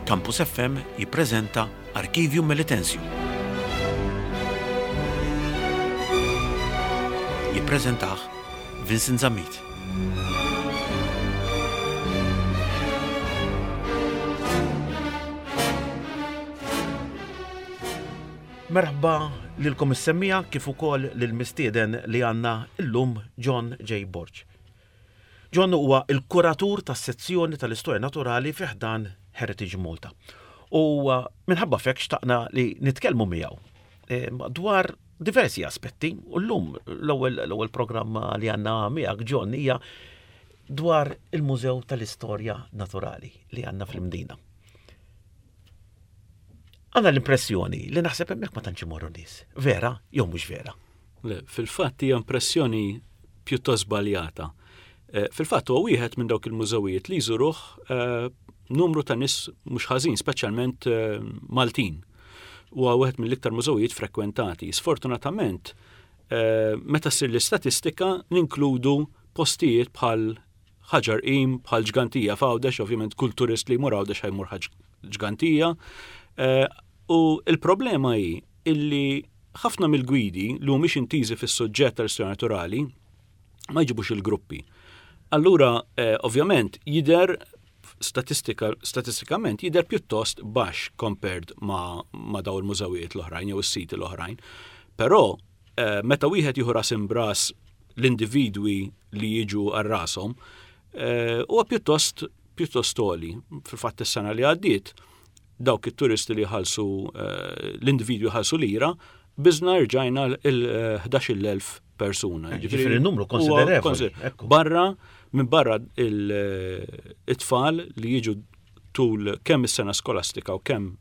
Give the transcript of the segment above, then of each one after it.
Campus FM jippreżenta Archivium Melitensium. Jippreżentah Vincent Zammit. Merħba lilkom is-semmiegħa kif ukoll lill-mistieden li għandna llum John J. Borg. John huwa l-kuratur tas-sezzjoni tal-Istorja Naturali fi ħdan Heritage Malta. U minħabba f'hekk xtaqna li nitkellmu miegħu eh, dwar diversi aspetti. U llum l-ewwel programm li għandna miegħek John hija dwar il-Mużew tal-Istorja Naturali li għandna fl-Imdina. Għandna l-impressjoni li naħseb hemmhekk ma tantx imorru nies. Vera jew mhux vera? Le, fil-fatt hija impressjoni pjuttost żbaljata. Eh, fil-fatt huwa wieħed minn dawk il-mużewijiet li jżuruh eh, numru ta' nies mhux ħażin, speċjalment eh, Maltin. Huwa wieħed mill-iktar mużewijiet frekwentati. Sfortunatament, meta ssir l-istatistika ninkludu postijiet bħal Ħaġar Qim, bħal Ġgantija f'Għawdex, ovvjament kull turist li jmur Għawdex ħajmur Ġgantija. Eh, u l-problema hi illi ħafna mill-gwidi li mhumiex intiżi fis-suġġett tal-istorja naturali ma jġibux il-gruppi. Allura, eh, ovvjament, jider statistika, statistikament jider pjuttost baxx compared ma, ma daw il-mużewijiet l-oħrajn jew is-siti l-oħrajn. Però eh, meta wieħed jieħu ras imbras l-individwi li jiġu għal rashom eh, huwa pjuttost pjuttost għoli. Fil-fatt is-sena li għaddiet dawk it-turisti li ħalsu eh, l-individwi ħalsu lira, biżna rġajna il-11,000 persuna. Eh, ġifieri numru konsiderevoli. Barra minn barra it-tfal li jiġu tul kemm is-sena skolastika u kemm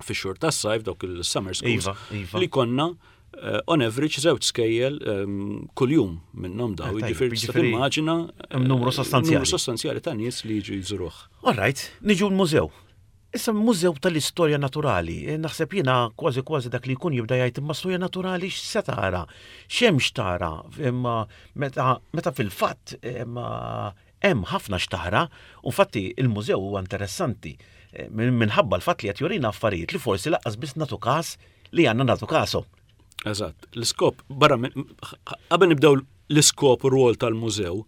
fix-xhur tas-sajf dawk il-summer schools iva, iva. li konna eh, on average żewġ skejjel ehm, kuljum minnhom daw. Eh, jiġifieri tista' timmaġina eh, numru sostanzjali. Numru sostanzjali ta' nies li jiġu jżuruh. All right, niġu l-mużew. Issa mużew tal-istorja naturali, naħseb jiena kważi kważi dak li jkun jibda jgħid imma storja naturali x'se tara, x'hemm x'tara, imma meta, meta fil-fatt imma Hemm ħafna x'tara, u infatti il-mużew huwa interessanti minħabba l-fatt li qed jurina affarijiet li forsi lanqas biss nagħtu każ li għandna nagħtu kashom. Eżatt. L-iskop, barra qabel nibdew l-iskop u r-rwol tal-mużew,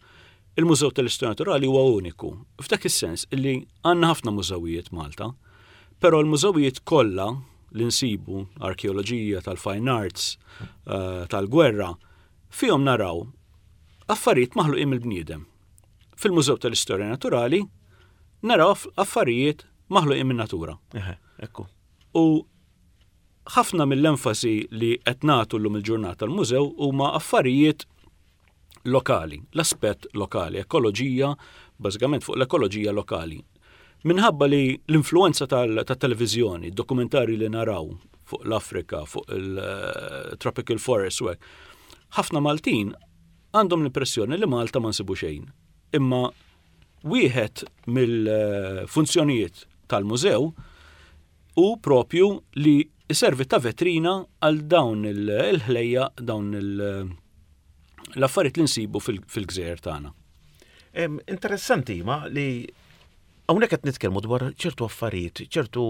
il-Mużew tal-Istorja Naturali huwa uniku. F'dak is-sens illi għandna ħafna mużewijiet Malta, però l-mużewijiet kollha li nsibu, arkeoloġija, tal-fine arts, eh, tal-gwerra, Fihom naraw affarijiet maħluqin mill-bniedem. Fil-Mużew tal-Istorja Naturali naraw affarijiet maħluqin min-natura. Ekku. U ħafna mill-enfasi li qed nagħtu llum il-ġurnata l-mużew huma affarijiet lokali, l-aspett lokali, ekoloġija, bażikament fuq l-ekoloġija lokali. Minħabba li l-influenza tat-televiżjoni, dokumentarji li naraw fuq l-Afrika, fuq il-tropical forest u hekk, ħafna Maltin għandhom l-impressjoni li Malta ma nsibu xejn. Imma wieħed mill-funzjonijiet tal-mużew hu propju li jservi ta' vetrina għal dawn il-ħlejja, dawn l-affarijiet li nsibu fil-gżejjer tagħna. Interessanti ma li hawnhekk qed nitkellmu dwar ċertu affarijiet, ċertu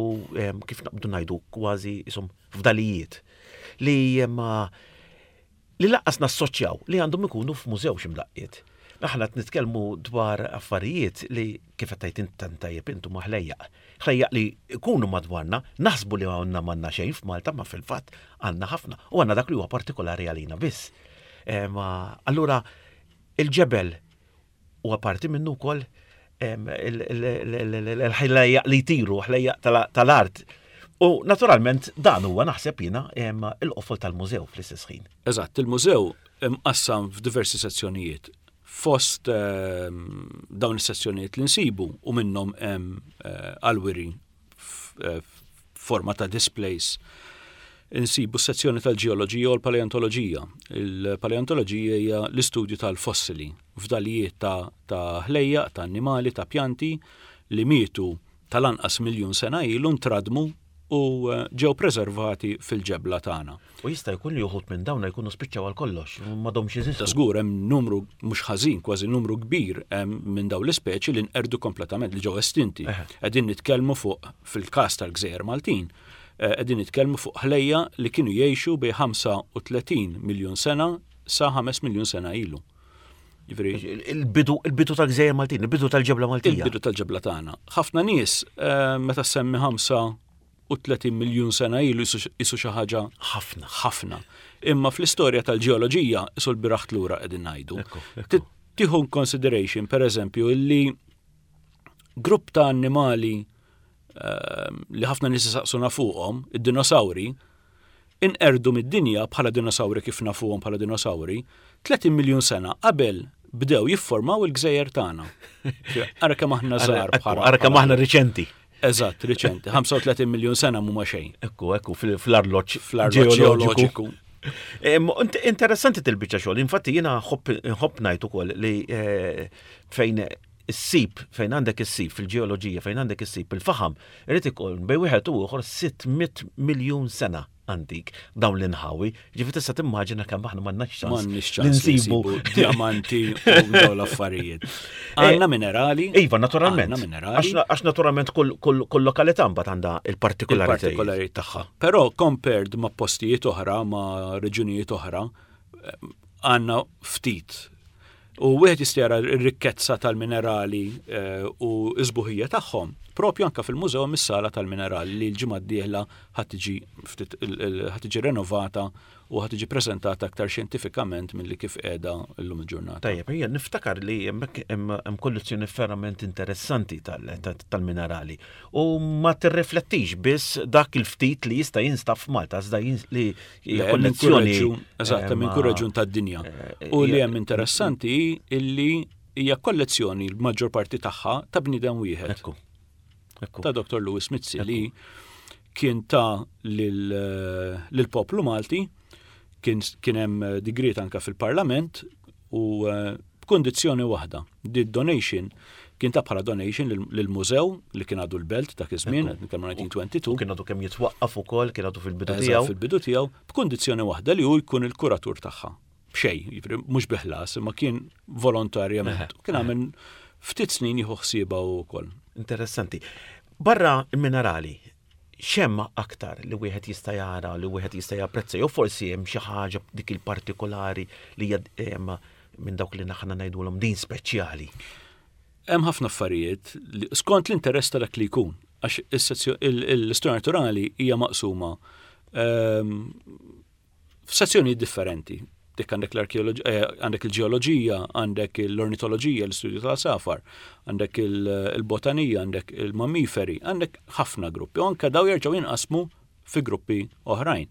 kif naqbdu ngħidu kważi isom fdalijiet li ma li lanqas nassoċjaw li għandhom ikunu f'mużew xi mdaqqiet. Aħna qed nitkellmu dwar affarijiet li kif qed tgħid int tant tajjeb int huma ħlejjaq. Ħlejjaq li jkunu madwarna, naħsbu li għandna m'għandna xejn f'Malta ma fil-fatt għandna ħafna u għandna dak li huwa partikolari għalina biss. Allura il-ġebel Huwa parti minnu wkoll il-ħlejjaq li jtiru, ħlejjaq tal-art. U naturalment dan huwa naħseb jiena il-qofol tal-mużew fl-istess ħin. Eżatt, il-mużew imqassam f'diversi sezzjonijiet. Fost dawn is-sezzjonijiet li nsibu u minnhom hemm eh, għalwiri eh, f'forma ta' displays insibu s-sezzjoni tal-ġeoloġija u l-paleontoloġija. Il-paleontoloġija hija l-istudju tal-fossili, fdalijiet ta', ta ħlejjaq, ta' annimali, ta' pjanti li mietu tal-anqas miljun sena ilu ntradmu u ġew preservati fil-ġebla tagħna. U jista' jkun li uħud minn dawn jkunu spiċċaw għal kollox, m'għadhomx jeżistu. Ta' żgur hemm numru mhux ħażin, kważi numru kbir minn dawn l-ispeċi li nqerdu kompletament, li ġew estinti. Qegħdin nitkellmu fuq fil-każ tal-Gżejjer Maltin, eh, qegħdin nitkellmu fuq ħlejja li kienu jgħixu bejn 35 miljun sena sa 5 miljun sena ilu. Il-bidu il-bidu tal-Gżejjer Maltin, il-bidu tal-ġebla Maltija. Il-bidu tal-ġebla tagħna. Ħafna nies eh, meta semmi 35 miljun sena ilu jisu xi ħaġa ħafna. Ħafna. Imma fl-istorja tal-ġeoloġija isu l-biraħt lura qegħdin ngħidu. Tieħu consideration, per eżempju, illi grupp ta' annimali ehm, li ħafna nies isaqsuna fuqhom, id-dinosawri, inqerdu mid-dinja bħala dinosawri kif nafuhom bħala dinosawri, 30 miljun sena qabel bdew jifformaw il-gżejjer tagħna. Ara kemm aħna żgħar bħala. Ara kemm aħna riċenti. Eżatt, riċenti. 35 miljun sena mhuma xejn. Ekku, ekku, fl-arloġġ ġeoloġiku. Interessanti til-biċċa xogħol. Infatti jiena nħobb ngħid ukoll li eh, fejn issib fejn għandek issib fil-ġeoloġija fejn għandek issib il-faħam, irid ikun bejn wieħed u ieħor 600 miljun sena antik dawn l-inħawi. Ġifi tista' timmaġina kemm aħna m'għandnax ċans. M'għandniex ċans li nsibu diamanti u dawn l-affarijiet. Eh, għandna minerali. Iva, naturalment. Għandna minerali. Għax naturalment kull lokalità mbagħad għandha il-partikolarità. Il-partikolarità tagħha. Però compared ma' postijiet oħra, ma' reġunijiet oħra, eh, għandna ftit U wieħed jista' jara r-rikkezza tal-minerali eh, u s-sbuħija tagħhom propju anka fil-mużew mis-sala tal-minerali li l-ġimgħa d-dieħla ħadd tiġi renovata u ħadd tiġi preżentata aktar xjentifikament milli kif qiegħda llum il-ġurnata. Tajjeb, ejja niftakar li hemmhekk hemm kollezzjoni verament interessanti tal-minerali u ma tirriflettix biss dak il-ftit li jista' jinstab f'Malta, iżda li Hija kollezzjoni. Eżatt, minn kull reġjun tad-dinja. Eh, u li hemm interessanti illi hija kollezzjoni l-maġġor parti tagħha ta' bniedem wieħed. Ekku. Ta' Dr. Louis Mizzi li kien ta' lill-poplu Malti, kien hemm digriet anka fil-Parlament u eh, b'kundizzjoni waħda. Di donation kien ta' bħala donation lill-mużew li kien għadu l-belt dak iż-żmien, qed nitkellmu 1922. Kien għadu kemm jitwaqqaf ukoll, kien għadu fil-bidu tiegħu. Fil-bidu tiegħu, b'kundizzjoni waħda li hu jkun il-kuratur tagħha. B'xejn, jiġifieri mhux bi ħlas, imma kien volontarjament. Kien għamel ftit snin jieħu ħsiebha wkoll. Interessanti. Barra il-minerali, x'hemm aktar li wieħed jista' jara, li wieħed jista' japprezza, jew forsi hemm xi ħaġa dik il-partikolari li hija minn dawk li aħna ngħidulhom din speċjali? Hemm ħafna affarijiet skont l-interess ta' dak li jkun, għax l-istorja naturali hija maqsuma ehm, f'sezzjonijiet differenti. Dik għandek l-arkeoloġija, eh, għandek il-ġeoloġija, għandek l-ornitoloġija, l-istudju tal-safar, għandek il-botanija, għandek il-mammiferi, għandek ħafna gruppi. U anke daw jerġgħu jinqasmu fi gruppi oħrajn.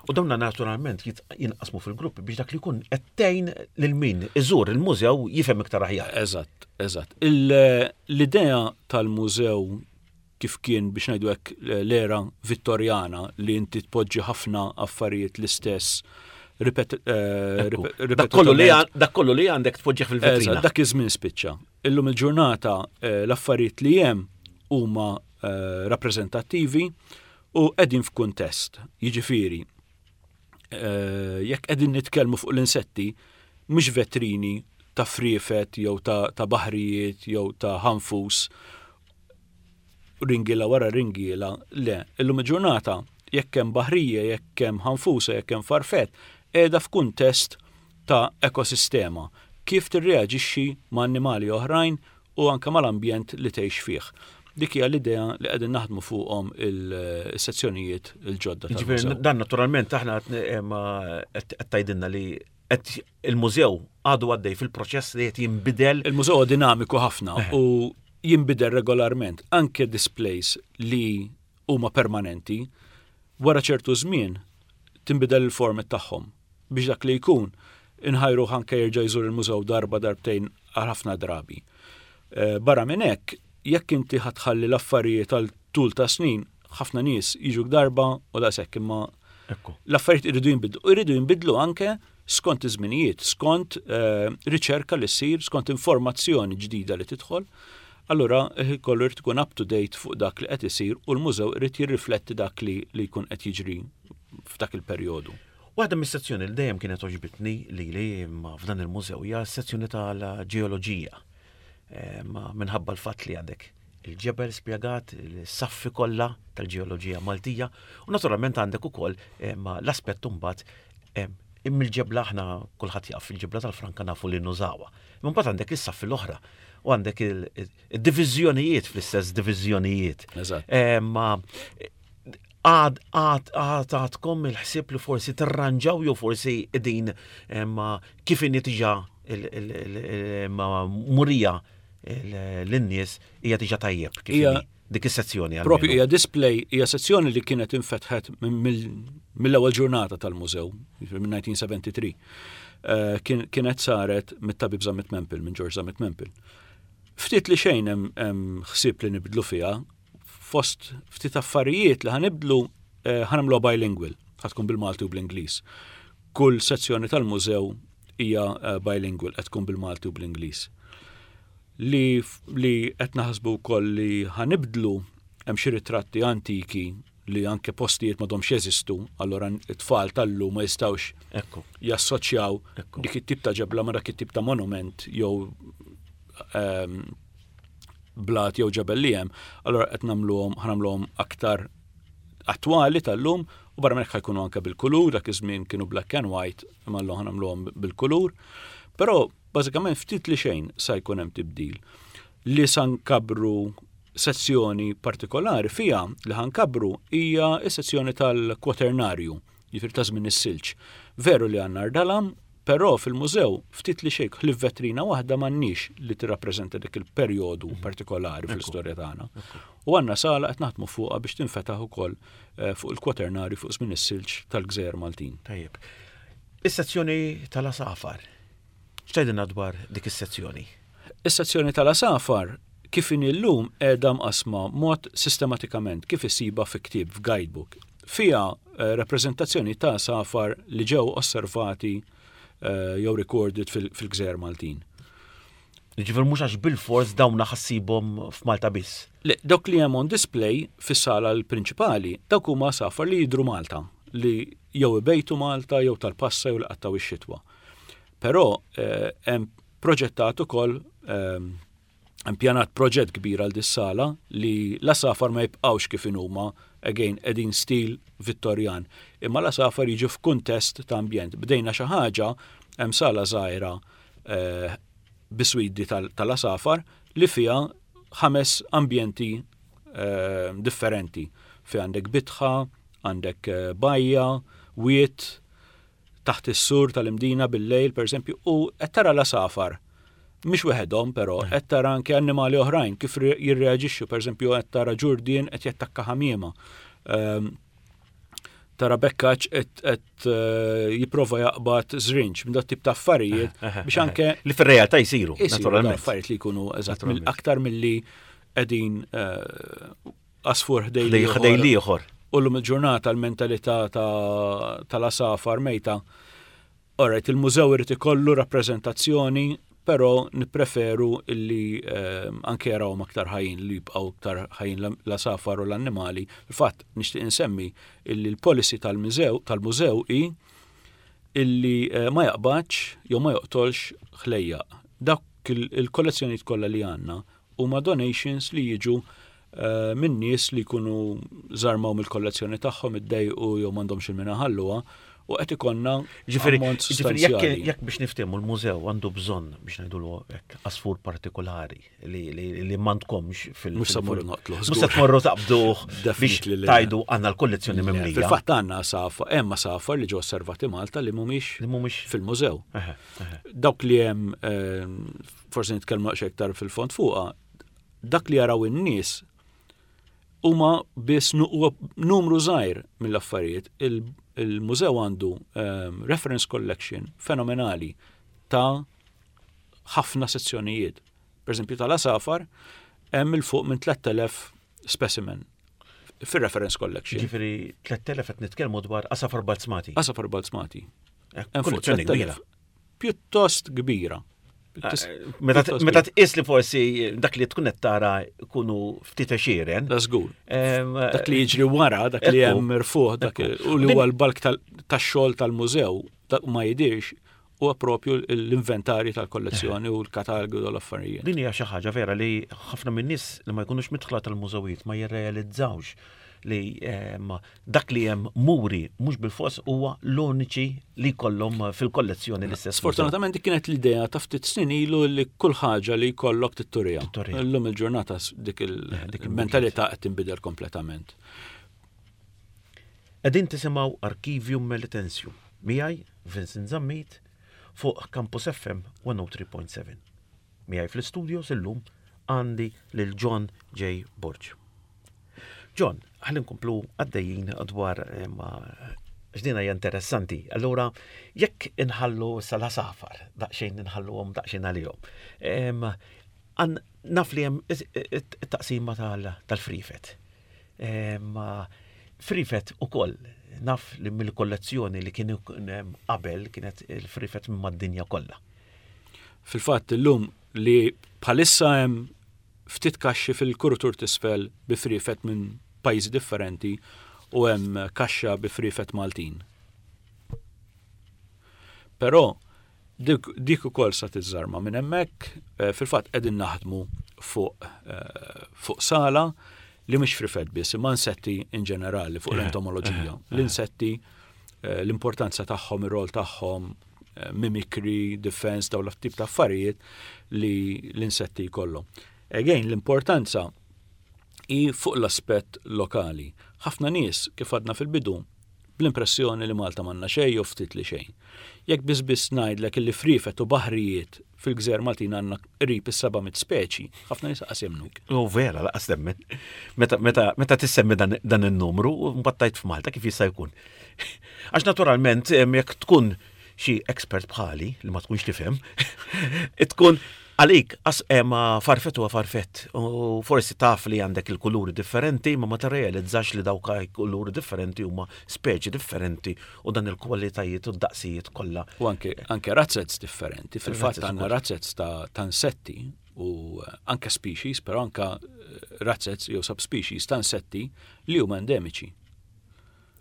U dawna naturalment jinqasmu fil-gruppi biex dak li jkun qed tgħin lil min iżur il-mużew jifhem iktar aħjar. Eżatt, eżatt. L-idea tal-mużew kif kien biex ngħidu hekk l-era Vittorjana li inti tpoġġi ħafna affarijiet l-istess ripet eh, Dak kollu li għandek tpoġġih fil-vetrina. Dak iż-żmien spiċċa. Illum il-ġurnata eh, l-affarijiet li hemm huma eh, rappreżentattivi u qegħdin f'kuntest. Jiġifieri, jekk qegħdin nitkellmu fuq l-insetti, mhux vetrini ta' friefet jew ta' baħrijiet jew ta' ħanfus ringiela wara ringiela, le, illum il-ġurnata jekk hemm baħrija, jekk hemm ħanfusa, jekk hemm farfett, qiegħda f'kuntest ta' ekosistema, kif tirreaġixxi ma' annimali oħrajn u anke mal-ambjent li tgħix fih. Dik hija l-idea li qegħdin naħdmu fuqhom il-sezzjonijiet il-ġodda. Jiġifieri dan naturalment aħna qed tgħidilna li qed il-mużew għadu għaddej fil-proċess li qed jinbidel. Il-mużew huwa dinamiku ħafna eh. u jinbidel regolarment anke displays li huma permanenti wara ċertu żmien tinbidel il-format tagħhom biex dak li jkun inħajruh anke jerġa' jżur il-mużew darba darbtejn għal ħafna drabi. Eh, barra minn hekk, jekk inti ħatħalli l-affarijiet għal tul ta' snin, ħafna nies jiġu darba u daqshekk imma l-affarijiet iridu jinbidlu. Iridu jinbidlu anke skont iż-żminijiet, skont eh, riċerka li ssir, skont informazzjoni ġdida li tidħol. Allura kollu jrid ikun up to date fuq dak li qed isir u l-mużew irid jirrifletti dak li li jkun qed jiġri f'dak il-perjodu. Waħda mis-sezzjoni li dejjem kienet għoġbitni lili imma f'dan il-mużew hija s-sezzjoni tal-ġeoloġija. Eh, minħabba l-fatt li għandek il-ġebel spjegat, il-saffi kollha tal-ġeoloġija Maltija u naturalment għandek ukoll eh, l-aspett imbagħad eh, imma il-ġebla aħna kulħadd jaf il-ġebla tal-franka nafu li nużawha. Imma mbagħad għandek is-saffi l-oħra u għandek il-diviżjonijiet fl-istess diviżjonijiet. Ma għad għad għad għadkom il-ħsieb li forsi tirranġaw jew forsi din ma kif inhi diġà ma murija lin-nies hija diġà tajjeb kif inhi dik is-sezzjoni. Propju hija display, hija sezzjoni li kienet infetħet mill-ewwel ġurnata tal-mużew, minn 1973. Eh, kienet saret mit-tabib Zammit Mempel, minn George Zammit Mempel. Ftit li xejn hemm ħsieb li nibdlu fiha, fost ftit affarijiet li ħa nibdlu eh, ħa nagħmluha bilingual, ħa tkun bil-Malti u bl-Ingliż. Kull sezzjoni tal-mużew hija eh, bilingual, qed tkun bil-Malti u bl-Ingliż. Li, li qed naħsbu wkoll li ħa nibdlu hemm xi ritratti antiki li anke postijiet m'għadhomx jeżistu, allora it-tfal tal-lum ma jistgħux jassoċjaw dik it-tip ta' ġebla ma dak it-tip ta' monument jew ehm, blat jew ġebel li hemm, allora qed nagħmluhom ħa nagħmluhom aktar attwali tal-lum u barra minn hekk ħa jkunu anke bil-kulur, dak iż-żmien kienu black and white, imma llum ħa nagħmluhom bil-kulur. Però bażikament ftit li xejn sa jkun hemm tibdil. Li sa nkabbru sezzjoni partikolari fiha li ħa nkabbru hija s-sezzjoni tal-kwaternarju, jiġifieri ta' żmien is-silġ. Veru li għandna rdalam, però fil-mużew ftit li xejn ħlief vetrina waħda m'għandniex li tirrappreżenta dik il-perjodu mhm. partikolari fl-istorja tagħna. U għandna sala qed naħdmu fuqha biex tinfetaħ ukoll eh, fuq il-kwaternarju fuq żmien is-silġ tal-Gżejjer Maltin. Tajjeb. Is-sezzjoni tal-asafar. X'tgħidilna dwar dik is-sezzjoni? Is-sezzjoni tal-għasafar kif inhi llum qiegħda mqassma mod sistematikament kif issibha fi ktieb f'guidebook. Fiha eh, rappreżentazzjoni ta' għasafar li ġew osservati eh, jew recorded fil-Gżejjer Maltin. Ġifier mhux għax bil-fors dawn ħa ssibhom f'Malta biss. Le, dawk li hemm on display fis-sala l-prinċipali, dawk huma għasafar li jidhru Malta, li jew ibejtu Malta jew tal-passa jew li qattgħu ix-xitwa. Però eh, hemm proġettat ukoll ehm, impjanat proġett kbir għal dis-sala li l-għasafar ma jibqgħux kif inhuma again qegħdin stil Vittorjan, imma l-għasafar jiġu f'kuntest ta' ambjent. Bdejna xi ħaġa hemm sala żgħira eh, biswidi tal-għasafar li fiha ħames ambjenti eh, differenti. Fi għandek bitħa, għandek eh, bajja, wiet, taħt is-sur tal-Imdina bil-lejl, pereżempju, u qed tara l-għasafar. Mhix weħedhom, però, eh. qed tara anke annimali oħrajn kif jirreaġixxu, pereżempju qed tara ġurdien qed jattakka ħamiema. Ehm, tara bekkaċ qed eh, jipprova jaqbad żrinġ minn dat tip ta' affarijiet eh, biex anke li fir-realtà jsiru, naturalment. Affarijiet li jkunu eżatt aktar milli qegħdin għasfur ħdej l-ieħor. Ħdej U llum il-ġurnata l-mentalità tal-għasafar mejta. Alright, il-mużew irid ikollu rappreżentazzjoni, però nippreferu illi ehm, anke jarawhom aktar ħajjin li jibqgħu aktar ħajjin l-għasafar u l-annimali. Fil-fatt nixtieq insemmi illi l-policy tal-mużew tal-mużew hi illi eh, ma jaqbadx jew ma joqtolx ħlejjaq. Dak il-kollezzjonijiet kollha li għandna huma donations li jiġu eh, minn nies li jkunu żarmaw mill-kollezzjoni tagħhom iddejqu jew m'għandhomx il min iħalluha u qed ikollna Ġifieri, ġifieri jekk biex niftehmu l-mużew għandu bżonn biex ngħidulu hekk għasfur partikolari li li m'għandkomx fil- Mhux se mmorru noqtluh. Mhux se tmorru taqbduh biex tgħidu għandna l-kollezzjoni mimlija. Fil-fatt għandna għasafar, hemm għasafar li ġew osservati Malta li mhumiex fil-mużew. Dawk li hemm eh, forsi nitkellmu daqsxejn iktar fil-fond fuqha, dak li jaraw in-nies huma biss numru żgħir mill-affarijiet. Il-mużew għandu ehm, reference collection fenomenali ta' ħafna sezzjonijiet. Per eżempju tal-asafar hemm il fuq minn 3000 specimen fir-reference collection. Ġifieri 3000 qed nitkellmu dwar asafar balzmati. Asafar balzmati. Eh, kollezzjoni kbira. Pjuttost kbira. Meta tqis li forsi dak li tkun qed tara jkunu ftit għexieren. Da żgur. Dak li jiġri wara, dak li hemm mirfuħ, dak u li huwa l-balk tax-xogħol tal-mużew, dak ma jidirx, huwa propju l-inventarji tal-kollezzjoni u l-katalgu u l-affarijiet. Din hija xi ħaġa vera li ħafna min-nies li ma jkunux midħla tal-mużewijiet ma jirrealizzawx li dak li hemm muri mhux bilfors huwa l-uniċi li jkollhom fil-kollezzjoni l-istess. Sfortunatament dik kienet l-idea ta' ftit snin ilu li kull ħaġa li jkollok titturija. Illum il-ġurnata dik il-mentalità qed tinbidel kompletament. Qegħdin tisimgħu Archivium Melitensium miegħi Vincent Zammit fuq Campus FM 103.7. Miegħi fl-istudios illum għandi lil John J. Borg. John, ħalli nkomplu għaddejjin dwar eh, ma x'dina hija interessanti. Allura, jekk inħallu sal-asafar, daqsxejn inħalluhom daqsxejn għalihom. Naf li hemm it-taqsima tal-frifet. Frifet ukoll naf li mill-kollezzjoni li kien qabel kienet il-frifet minn mad-dinja kollha. Fil-fatt illum li bħalissa hemm ftit kaxxi fil-kurutur t'isfel bi friefet minn pajjiżi differenti u hemm kaxxa bi friefet Maltin. Però dik, dik ukoll sa tiżżarma minn hemmhekk, eh, fil-fatt qegħdin naħdmu fuq eh, fuq sala li mhix frifet biss, imma insetti in ġenerali fuq l-entomoloġija. L-insetti, eh, l-importanza tagħhom, ir-rol tagħhom, mimikri, defense, dawn l-tip ta' affarijiet li l-insetti jkollhom. Again, l-importanza hi fuq l-aspett lokali. Ħafna nies, kif għadna fil-bidu, bl-impressjoni li Malta m'għandna xejn jew ftit li xejn. Jekk biss biss ngħidlek illi friefet u baħrijiet fil-gżejjer Maltin għandna qrib is-700 speċi, ħafna nies qas jemmnuk. U vera, laqas temmen. Meta, meta, meta tissemmi dan, dan in-numru, mbagħad tgħid f'Malta kif jista' jkun. Għax naturalment jekk tkun xi expert bħali li ma tkunx tifhem, tkun għalik as eh, ma farfett huwa farfett u forsi taf li għandek il-kuluri differenti ma ma tirrealizzax li dawk kuluri differenti huma speċi differenti u dan il-kwalitajiet u d-daqsijiet kollha. U anke anke razzets differenti, fil-fatt għandna razzets ta' insetti u eh, anke species, però anke eh, razzets jew subspecies ta' insetti li huma endemiċi.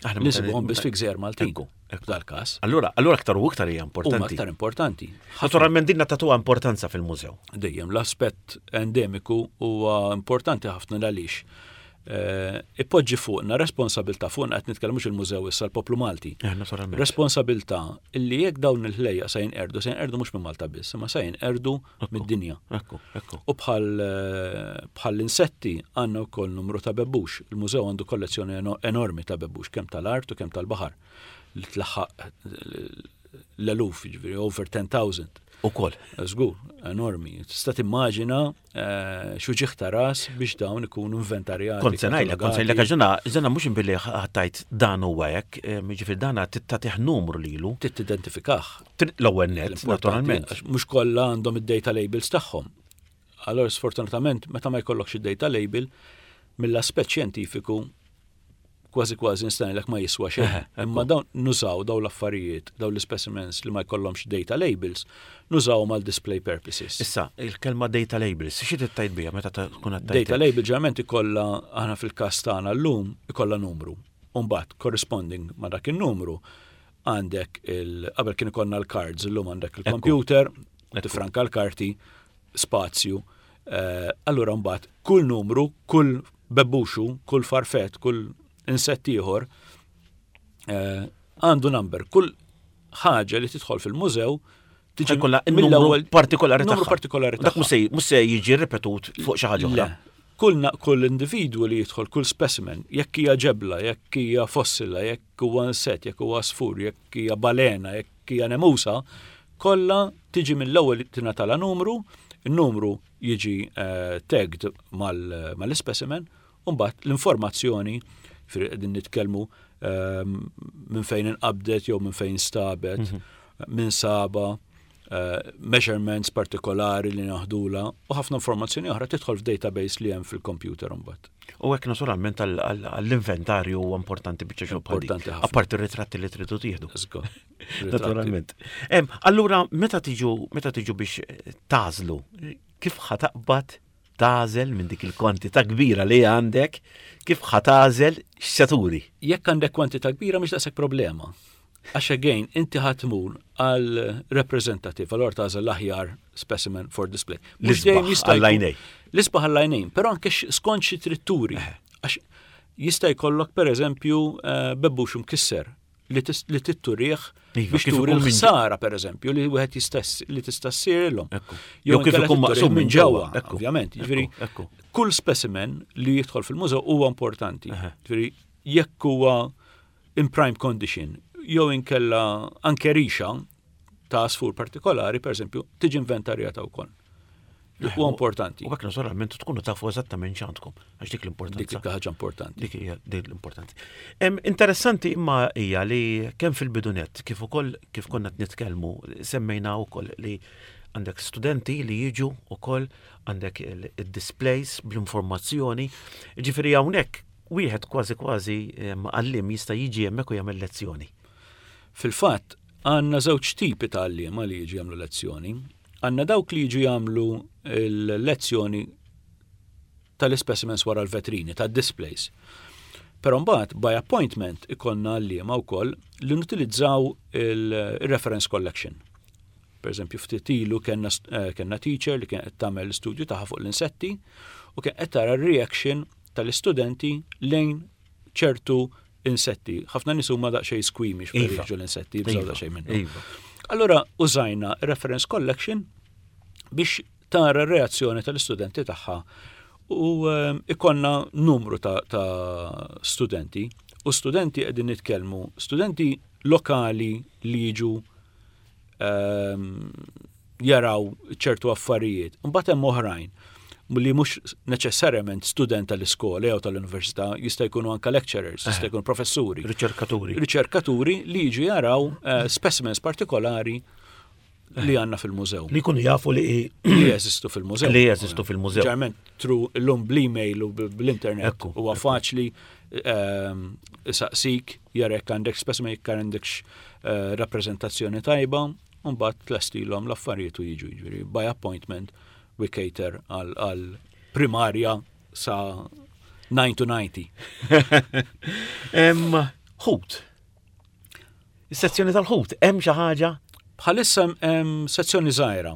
Aħna nisibuhom biss fi gżejjer Maltin. F'dal-każ. Allura, allura aktar u aktar hija importanti. Huma aktar importanti. Naturalment dinna tatuha importanza fil-mużew. Dejjem l-aspett endemiku huwa importanti ħafna għaliex eh, ipoġġi fuqna responsabilità fuqna qed nitkellmu mhux il-mużew issa l-poplu Malti. Eh, naturalment. Responsabilità illi jekk dawn il-ħlejja se jinqerdu, se jinqerdu mhux minn Malta biss, imma se jinqerdu mid-dinja. Ekku, ekku. U bħal eh, bħal l-insetti għandna wkoll numru ta' bebbux. Il-mużew għandu kollezzjoni enormi ta' bebbux, kemm tal-art u kemm tal-baħar li tlaħħaq l-eluf, ġifieri over 10,000. Ukoll. Żgur, enormi. Tista' timmaġina eh, xuġiħ ta' ras biex dawn ikunu inventarjati. Kont se ngħidlek, kont se ngħidlek għax dana dana mhux billi ħattajt dan huwa hekk, eh, jiġifieri dana tagħtih numru lilu. Trid tidentifikah. L-ewwel nett, naturalment. Mhux kollha għandhom id-data labels tagħhom. Allora sfortunatament meta ma jkollokx id-data label, mill-aspett xjentifiku kważi kważi nista' ma jiswa xejn. Imma dawn nużaw dawn l-affarijiet, dawn l-specimens li ma jkollhomx data labels, nużawhom għal display purposes. Issa, il-kelma data labels, xi trid biha meta tkun qed Data label ġeneralment ikollha aħna fil-każ tagħna llum ikollha numru. U mbagħad corresponding ma' dak in-numru għandek il qabel kien ikollna l-cards, illum għandek il-computer, tifranka l-karti, spazju. Eh, allura mbagħad kull numru, kull bebbuxu, kull farfett, kull insett ieħor eh, għandu number. Kull ħaġa li tidħol fil-mużew tiġi kollha mill-ewwel partikolari numru partikolari Dak mhux se jiġi ripetut fuq xi ħaġa oħra. Kull kull individwu li jidħol, kull specimen, jekk hija ġebla, jekk hija fossila, jekk jekk huwa insett, jekk huwa għasfur, jekk hija balena, jekk hija nemusa, kollha tiġi mill-ewwel tingħatalha numru, in-numru jiġi eh, tagged mal-specimen, u mbagħad l-informazzjoni qegħdin nitkellmu ehm, minn fejn inqabdet jew minn fejn stabet, mhm. minn saba. Measurements partikolari li naħdula u ħafna informazzjoni oħra tidħol f'database li hemm fil-computer imbagħad. U hekk naturalment għall-inventarju huwa importanti biċċa xogħol. Importanti ħafna. Apparti r-ritratti li tridu tieħdu. Naturalment. Allura meta tiġu meta tiġu biex tażlu, kif ħa taqbad tagħżel minn dik il-kwantità kbira li għandek, kif ħa tagħżel x'se turi? Jekk għandek kwantità kbira mhix daqshekk problema. Għax again, inti ħa tmur għal representative, allora tagħżel l-aħjar specimen for display. Mhux dejjem jista' għall-għajnejn. L-isbaħ għall-għajnejn, però anke skont xi trid turi. Għax jista' jkollok pereżempju eh, bebbux mkisser li titturih iva, biex turi l-ħsara pereżempju li wieħed jistess li tista' ssirilhom. Jew kif ikun maqsum minn ġewwa, ovvjament. Jiġifieri kull specimen li jidħol fil-mużew huwa importanti. Jiġifieri jekk huwa in prime condition jew inkella anke rixa ta' għasfur partikolari, per eżempju, tiġi inventarjata wkoll. Huwa importanti. U hekk naturalment tkunu tafu eżattament x'għandkom, għax dik l-importanza. Dik ħaġa importanti. Dik hija dik l-importanti. Interessanti imma hija li kemm fil-bidunet kif ukoll kif konna qed nitkellmu semmejna wkoll li għandek studenti li jiġu ukoll għandek il-displays bl-informazzjoni. Ġifieri hawnhekk wieħed kważi kważi għalliem jista' jiġi hemmhekk u jagħmel lezzjoni. Fil-fatt, għandna żewġ tipi ta' għalliema li jiġu jagħmlu lezzjoni. Għandna dawk li jiġu jagħmlu l-lezzjoni tal-ispecimens wara l-vetrini, tad-displays. Però mbagħad by appointment ikollna għalliema wkoll li nutilizzaw il-reference collection. Per eżempju, ftit ilu kellna eh, kellna teacher li kien qed tagħmel l-istudju tagħha fuq l-insetti u kien qed tara r-reaction tal-istudenti lejn ċertu insetti. Ħafna nies huma daqsxejn squeamish meta iva. jiġu l-insetti, jibżgħu iva. daqsxejn minnhom. Iva. Allura użajna reference collection biex tara r-reazzjoni tal-istudenti tagħha u ehm, ikonna numru ta', ta studenti u studenti qegħdin nitkellmu studenti lokali li jiġu ehm, jaraw ċertu affarijiet. Mbagħad hemm oħrajn li mhux neċessarjament student tal-iskola jew tal-università, jista' jkunu anke lecturers, jista' jkunu professuri. Riċerkaturi. Riċerkaturi li jiġu jaraw eh, specimens partikolari li għanna fil-mużew. Li jkunu jafu li li jeżistu fil-mużew. Li jeżistu fil-mużew. Ġarment tru l-lum bl-email u bl-internet huwa faċli ehm, saqsik jarek għandek specimen jekk għandek eh, rappreżentazzjoni tajba u mbagħad tlestilhom l-affarijiet u jiġu jiġifieri by appointment we cater għal primarja sa 9 to 90. Ħut. Is-sezzjoni tal-ħut, hemm xi ħaġa? Bħalissa hemm sezzjoni żgħira.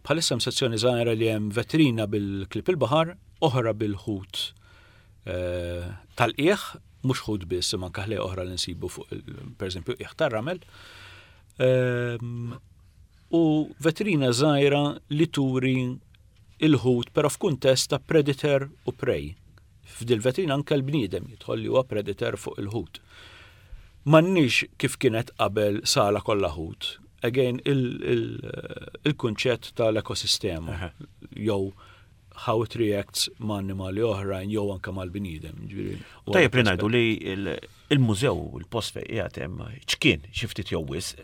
Bħalissa hemm sezzjoni żgħira li hemm vetrina bil-klip il-baħar, oħra bil-ħut eh, tal-qiegħ, mhux ħut biss, imma anke ħlejja oħra li nsibu fuq pereżempju qiegħ tar-ramel. Ehm, u vetrina żgħira li turi il-ħut però f'kuntest ta' predator u prey. F'dil vetrina anke l-bniedem jidħol li huwa predator fuq il-ħut. M'għandniex kif kienet qabel sala kollha ħut. Again il-kunċett tal-ekosistema jew how it reacts ma' annimali oħrajn jew anke mal-bniedem. Tajjeb li ngħidu li il-mużew, il-post fejn qiegħed hemm ċkien xi ftit jew wisq.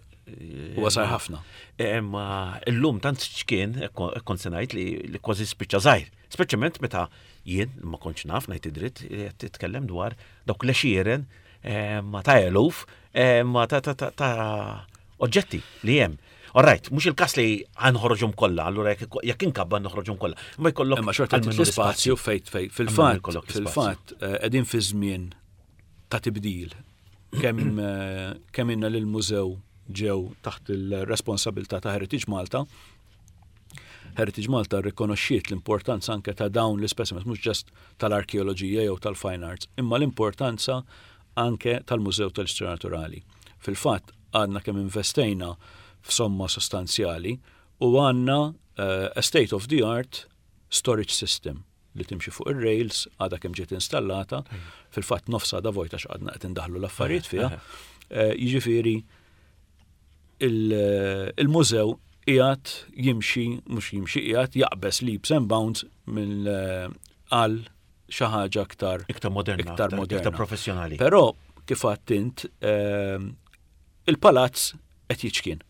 Huwa sar ħafna. Imma illum tant ċkien, kont se ngħid li kważi spiċċa żgħir. Speċjalment meta jien ma kontx naf ngħid id-dritt qed titkellem dwar dawk l-għexieren ma ta' eluf ma ta' oġġetti li hemm. All right, mhux il-każ li ħanħorġhom kollha, allura jekk inkabba noħroġhom kollha. Ma jkollok Imma xorta l-ispazju fejt fejt fil-fatt fil-fatt eh, qegħdin fi żmien ta' tibdil. Kemm eh, kemm inna lil mużew ġew taħt il-responsabilità ta' Heritage Malta. Heritage Malta rrikonoxxiet l-importanza anke ta' dawn l-ispecimens mhux ġast tal-arkeoloġija jew tal-fine arts, imma l-importanza anke tal-Mużew tal-Istorja Naturali. Fil-fatt, għadna kemm investejna f'somma sostanzjali u għandna a state of the art storage system li timxi fuq ir-rails għadha kemm ġiet installata, fil-fatt nofs għadha vojta x'għadna qed indaħlu l-affarijiet fiha. Eh, jiġifieri il-mużew qiegħed jimxi, mhux jimxi qiegħed jaqbeż leaps and bounds mill eh, għal xi ħaġa aktar iktar moderna, iktar moderna, iktar professjonali. Però kif għadt int ehm, il-palazz qed jiċkien.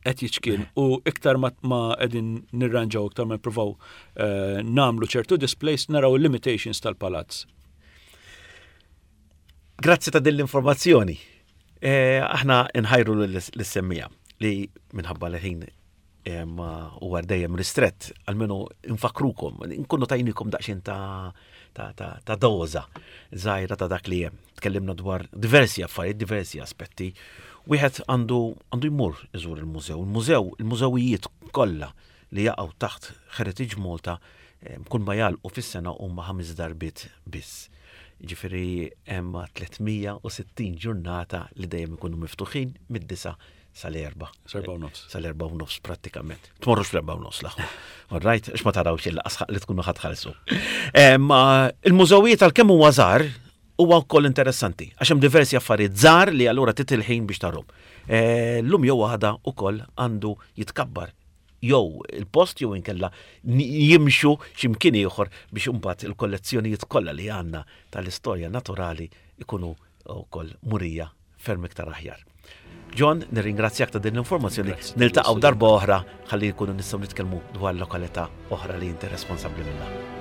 Qed jiċkien u iktar ma qegħdin nirranġaw iktar ma nippruvaw eh, nagħmlu ċertu displays naraw il-limitations tal-palazz. Grazzi ta' din l-informazzjoni. Eh, aħna nħajru l-semmija li minħabba l-ħin eh, ma huwa dejjem ristrett, almenu nfakrukom, nkunu tajnikom daqsxejn ta' ta', ta, ta doza żgħira ta' dak li hemm. Tkellimna dwar diversi affarijiet, diversi aspetti. Wieħed għandu għandu jmur iżur il-mużew. Il-mużew, il-mużewijiet kollha li jaqgħu taħt Heritage Malta kull ma jagħlqu fis-sena huma ħames darbiet biss. Ġifieri hemm 360 ġurnata li dejjem ikunu miftuħin mid-disa sal-erba. Sal-erba u nofs. Sal-erba u nofs prattikament. Tmorrux fl-erba u nofs l-aħwa. All right, għax ma tarawx il-laqas li tkunu ħatħallsu. Il-mużewijiet għalkemm huwa żgħar huwa wkoll interessanti għax hemm diversi affarijiet żgħar li allura titilħin biex tarhom. Eh, llum jew għada ukoll għandu jitkabbar jew il-post jew inkella jimxu x'imkien ieħor biex imbagħad il-kollezzjonijiet kollha li għandna tal-istorja naturali ikunu wkoll murija ferm iktar aħjar. John, nirringrazzjak ta' din l-informazzjoni. Niltaqgħu darba oħra ħalli nkunu nistgħu nitkellmu dwar lokalità oħra li inti responsabbli minnha.